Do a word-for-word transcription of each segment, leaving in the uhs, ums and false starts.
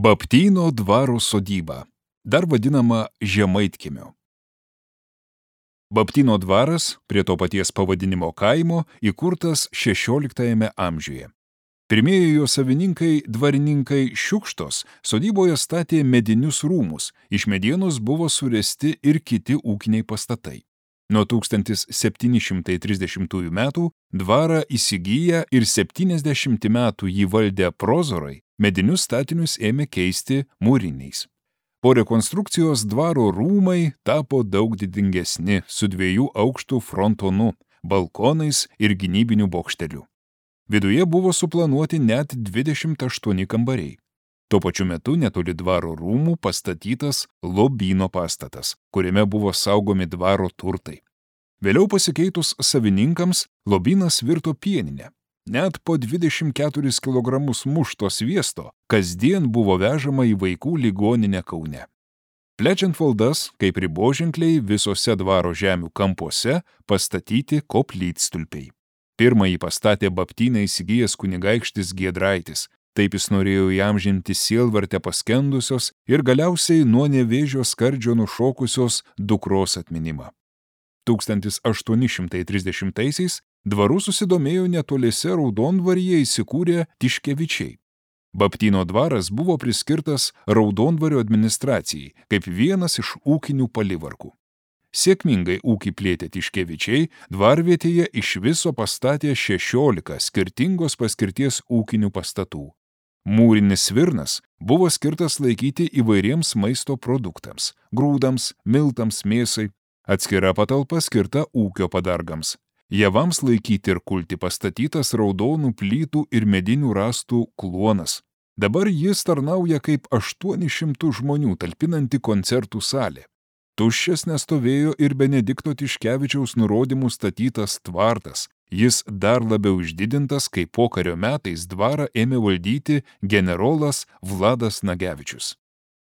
Baptyno dvaro sodyba, dar vadinama Žemaitkiemiu. Baptyno dvaras, prie to paties pavadinimo kaimo, įkurtas šešioliktajame amžiuje. Pirmieji jo savininkai, dvarininkai Šiukštos, sodyboje statė medinius rūmus, iš medienos buvo suresti ir kiti ūkiniai pastatai. Nuo tūkstantis septyni šimtai trisdešimtųjų metų dvarą įsigiję ir septyniasdešimt metų jį valdę prozorai, medinius statinius ėmė keisti mūriniais. Po rekonstrukcijos dvaro rūmai tapo daug didingesni, su dviejų aukštų frontonu, balkonais ir gynybiniu bokšteliu. Viduje buvo suplanuoti net dvidešimt aštuoni kambariai. Tuo pačiu metu netoli dvaro rūmų pastatytas lobyno pastatas, kuriame buvo saugomi dvaro turtai. Vėliau pasikeitus savininkams, lobynas virto pieninę. Net po dvidešimt keturis kilogramus mušto sviesto kasdien buvo vežama į vaikų ligoninę Kaune. Plečiant valdas, kaip riboženkliai visose dvaro žemių kampuose pastatyti koplytstulpiai. Pirmąjį pastatė Baptyną įsigijęs kunigaikštis Giedraitis. Taip jis norėjo įamžinti sielvarte paskendusios ir galiausiai nuo nevėžio skardžio nušokusios dukros atminimą. tūkstantis aštuoni šimtai trisdešimtaisiais dvaru susidomėjo netoliese Raudondvaryje įsikūrę Tiškevičiai. Baptyno dvaras buvo priskirtas Raudondvario administracijai kaip vienas iš ūkinių palivarkų. Sėkmingai ūkį plėtė Tiškevičiai, dvarvietėje iš viso pastatė šešiolika skirtingos paskirties ūkinių pastatų. Mūrinis svirnas buvo skirtas laikyti įvairiems maisto produktams – grūdams, miltams, mėsai, atskira patalpa skirta ūkio padargams. Javams laikyti ir kulti pastatytas raudonų plytų ir medinių rąstų kluonas. Dabar jis tarnauja kaip aštuoni šimtai žmonių talpinanti koncertų salė. Tuščias nestovėjo ir Benedikto Tiškevičiaus nurodymų statytas tvartas. Jis dar labiau išdidintas, kai pokario metais dvarą ėmė valdyti generolas Vladas Nagevičius.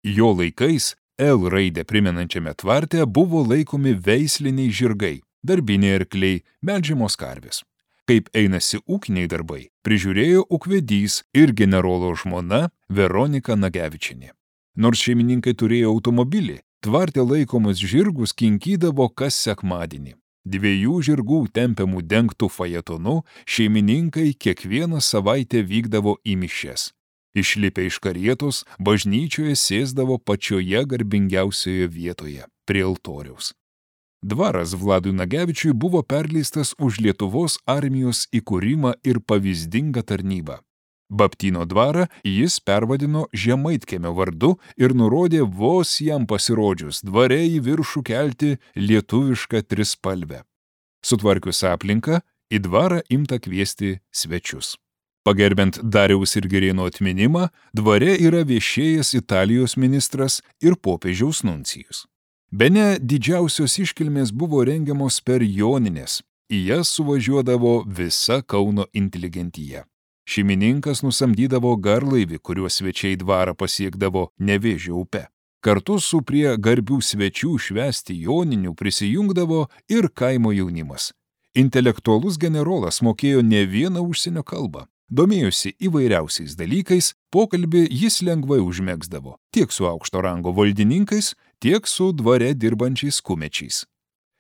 Jo laikais L raidę primenančiame tvarte buvo laikomi veisliniai žirgai, darbiniai arkliai, melžiamos karvės. Kaip einasi ūkiniai darbai, prižiūrėjo ūkvedys ir generolo žmona Veronika Nagevičienė. Nors šeimininkai turėjo automobilį, tvarte laikomus žirgus kinkydavo kas sekmadienį. Dviejų žirgų tempiamų dengtų fajetonu šeimininkai kiekvieną savaitę vykdavo į mišias. Išlipę iš karietos, bažnyčioje sėsdavo pačioje garbingiausioje vietoje, prie altoriaus. Dvaras Vladui Nagevičiui buvo perleistas už Lietuvos armijos įkūrimą ir pavyzdingą tarnybą. Baptyno dvarą jis pervadino Žemaitkiemio vardu ir nurodė vos jam pasirodžius dvare į viršų kelti lietuvišką trispalvę. Sutvarkius aplinką, į dvarą imta kviesti svečius. Pagerbiant Dariaus ir Girėno atminimą, dvare yra viešėjęs Italijos ministras ir popiežiaus nuncijus. Bene didžiausios iškilmės buvo rengiamos per Jonines, į jas suvažiuodavo visa Kauno inteligentija. Šeimininkas nusamdydavo garlaivį, kuriuo svečiai dvarą pasiekdavo Nevėžio upe. Kartu su prie garbių svečių švęsti Joninių prisijungdavo ir kaimo jaunimas. Intelektualus generolas mokėjo ne vieną užsienio kalbą. Domėjosi įvairiausiais dalykais, pokalbį jis lengvai užmegzdavo tiek su aukšto rango valdininkais, tiek su dvare dirbančiais kumečiais.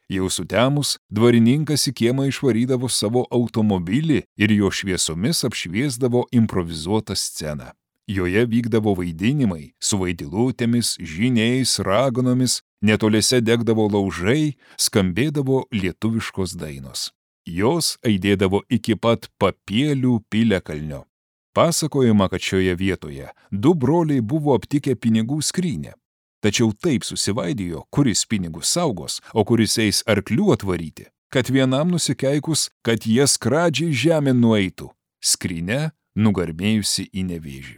Jau sutemus, dvarininkas į kiemą išvarydavo savo automobilį ir jo šviesomis apšviesdavo improvizuotą sceną. Joje vykdavo vaidinimai su vaidilutėmis, žyniais, raganomis, netoliese degdavo laužai, skambėdavo lietuviškos dainos. Jos aidėdavo iki pat Papielių piliakalnio. Pasakojama, kad šioje vietoje du broliai buvo aptikę pinigų skrynę. Tačiau taip susivaidijo, kuris pinigus saugos, o kuris eis arklių atvaryti, kad vienam nusikeikus, kad jie skradžiai žemė nueitų, skrynia nugarbėjusi į Nevėžį.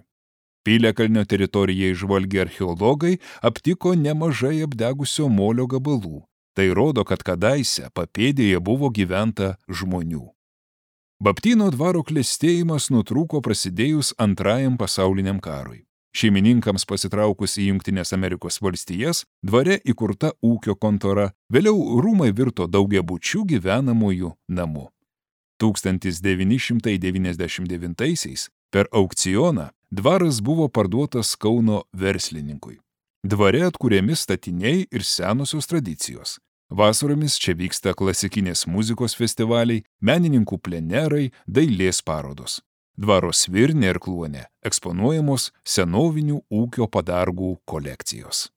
Piliakalnio teritoriją išžvalgę archeologai aptiko nemažai apdegusio molio gabalų. Tai rodo, kad kadaise papėdėje buvo gyventa žmonių. Baptyno dvaro klestėjimas nutrūko prasidėjus Antrajam pasauliniam karui. Šeimininkams pasitraukus į Jungtines Amerikos valstijas, dvare įkurta ūkio kontora, vėliau rūmai virto daugiabučių gyvenamųjų namu. tūkstantis devyni šimtai devyniasdešimt devintaisiais per aukcioną dvaras buvo parduotas Kauno verslininkui. Dvare atkuriami statiniai ir senosios tradicijos. Vasaromis čia vyksta klasikinės muzikos festivaliai, menininkų plenerai, dailės parodos. Dvaro svirne ir kluone eksponuojamos senovinių ūkio padargų kolekcijos.